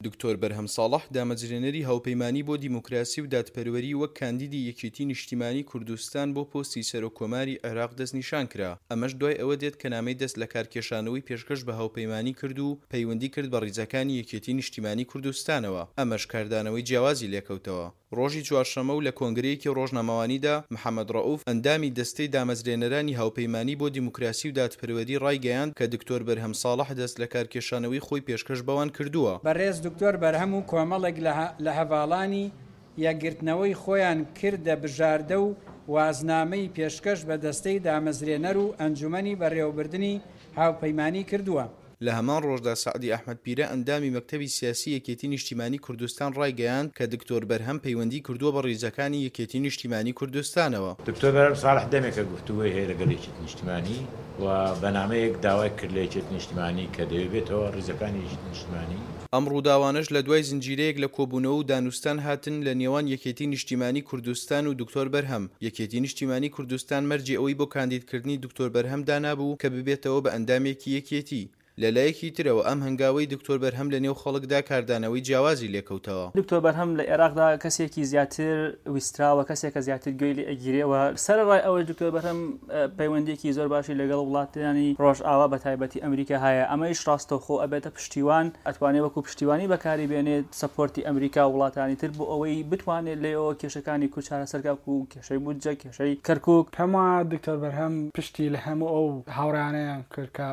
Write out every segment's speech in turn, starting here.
دکتۆر بەرهەم ساڵح، دامەزرێنەری هاوپەیمانی بۆ دیموکراسی و دادپەروەری وەک کاندیدی یەکێتی نیشتیمانی کوردستان بۆ پۆستی سەرۆک کۆماری عێراق دەستنیشانکرا، ئەمەش دوای ئەوە دێت کە نامەی دەست لەکارکێشانەوەی پێشکەش بە هاوپەیمانی کرد و پەیوەندی کرد بە ڕیزەکانی یەکێتی نیشتیمانی کوردستانەوە، ئەمەش کاردانەوەی جیاوازی لێکەوتەوە. ڕۆژی چوارشەممە و لە کۆنگرەیەکی ڕۆژنامەوانیدا، محەمەد ڕەئوف، ئەندامی دەستەی دامەزرێنەرانی هاوپەیمانی بۆ دیموکراسی و دادپەروەری ڕایگەیاند کە دکتۆر بەرهەم ساڵح دەست لەکارکێشانەوەی خۆی پێشکەش بەوان کردووە. بەڕێز دکتۆر بەرهەم و کۆمەڵێک لە هەڤاڵانی یەکگرتنەوەی خۆیان کردە بژاردە و وازنامەی پێشکەش بە دەستەی دامەزرێنەر و ئەنجومەنی بەڕێوەبردنی هاوپەیمانی کردووە. لە هەمان ڕۆژدا سەعدی ئەحمەد پیرە ئەندامی مەکتەبی سیاسی یەکێتی نیشتیمانی کوردستان ڕایگەیاند کە دکتۆر بەرهەم پەیوەندی کردووە بە ڕیزەکانی یەکێتی نیشتیمانی کوردستانەوە. دکتۆر بەرهەم ساڵح دەمێکە گفتوگۆی هەیە لەگەڵ یەکێتی نیشتیمانی و بە نامەیەک داوای کرد لە یەکێتی نیشتیمانی کە دەیەوێت بێتەوە ڕیزەکانی یەکێتی نیشتیمانی. ئەم ڕووداوانەش لە دوای زنجیرەیەک لە کۆبوونەوە و دانوستان هاتن لە نێوان یەکێتی نیشتیمانی کوردستان و دکتۆر بەرهەم، یەکێتی نیشتیمانی کوردستان مەرجی ئەوەی بۆ کاندیدکردنی دکتۆر بەرهەم دانابوو کە ببێتەوە بە ئەندامێکی یەکێتی. لە لایەکی ترەوە ئەم هەنگاوەی دکتۆر بەرهەم لە نێو خەڵکدا کاردانەوەی جیاوازی لێکەوتەوە. دکتۆر بەرهەم لە ئێراقدا کەسێکی زیاتر ویستراوە، کەسێکە زیاتر گوێی لێ ئەگیرێ و سەرەڕای ئەوەش دکتۆر بەرهەم پەیوەندییەکی زۆر باشی لەگەڵ وڵاتانی ڕۆژئاوا بە تایبەتی ئەمریکا هەیە، ئەمەیش ڕاستەوخۆ ئەبێتە پشتیوان، ئەتوانێ وەکوو پشتیوانی بەکاری بێنێت، سەپۆرتی ئەمریکا و وڵاتانی تر بۆ ئەوەی بتوانێت لێیەوە کێشەکانی کورد چارەسەر کا وەکوو کێشەی بودجە، کێشەی کەرکووک. پێم وایە دکتۆر بەرهەم پشتی لە هەموو ئەو هاوڕێیانەیان کرد کە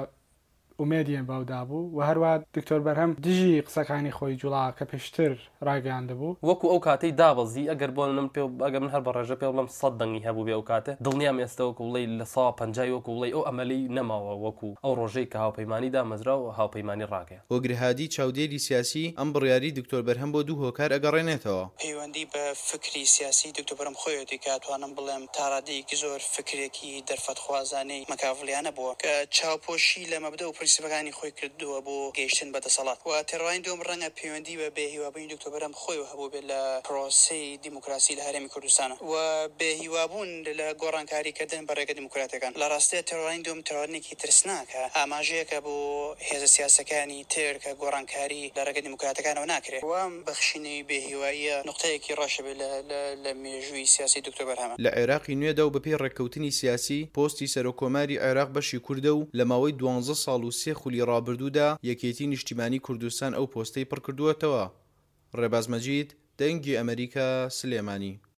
ئومێدیان بەو دابوو و هەروەها دکتۆر بەرهەم دژی قسەکانی خۆی جوڵا کە پێشتر ڕایگەیاندبوو. وەکو ئەو کاتەی دابەزی ئەگەر بۆ من پێ ئەگەر من هەر بە ڕێژە پێ بڵێم سەد دەنگی هەبووبێ ئەو کاتە دڵنیام ئێستە وەکو بڵێی 50% وەکو بڵێی ئەو ئەمەلەی نەماوە وەکو ئەو ڕۆژەی کە هاوپەیمانی دامەزرا و هاوپەیمانی ڕاگەیاند. هۆگر هادی چاودێری سیاسی، ئەم بڕیاری دکتۆر بەرهەم بۆ دوو هۆکار ئەگەڕێنێتەوە. پەیوەندی بە فکری سیاسی دکتۆر بەرهەم خۆیەتی کە ئەتوانم بڵێم تا ڕادەیەکی زۆر فکرێکی دەرفەتخوازانەی مەکاڤڵیانە بووە کە چاوپۆشی لە مەبدەء و پرنسیپەکانی خۆی کردووە بۆ گەیشتن بە دەسەڵات و تێڕوانین دووەم ڕەنگە پەیوەندی بە بێهیوابوونی دکتۆر بەرهەم خۆیەوە هەبووبێت لە پرۆسەی دیموکراسی لە هەرێمی کوردستان و بێهیوابوون لە گۆڕانکاری کردن بە ڕێگە دیموکراتیەکان. لە ڕاستیا تێڕوانین دووەم تێڕوانینێکی ترسناکە، ئاماژەیەکە بۆ هێزە سیاسیەکانی تر کە گۆڕانکاری لە ڕێگە دیموکراتەکانەوە ناکرێ و ئەم بەخشینەی بێهیواییە نوقتەیەکی ڕەشە بێ لە مێژووی سیاسی دکتۆر بەرهەمە. لە عێراقی نوێدا و بەپێی ڕێککەوتنی سیاسی، پۆستی سەرۆککۆماری عێراق بەشی کوردە و لە ماوەی دوانزە ساڵ و سێ خولی ڕابردوودا یەکێتی نیشتیمانی کوردستان ئەو پۆستەی پڕکردووەتەوە. ڕێباز مەجید، دەنگی ئەمەریکا، سلێمانی.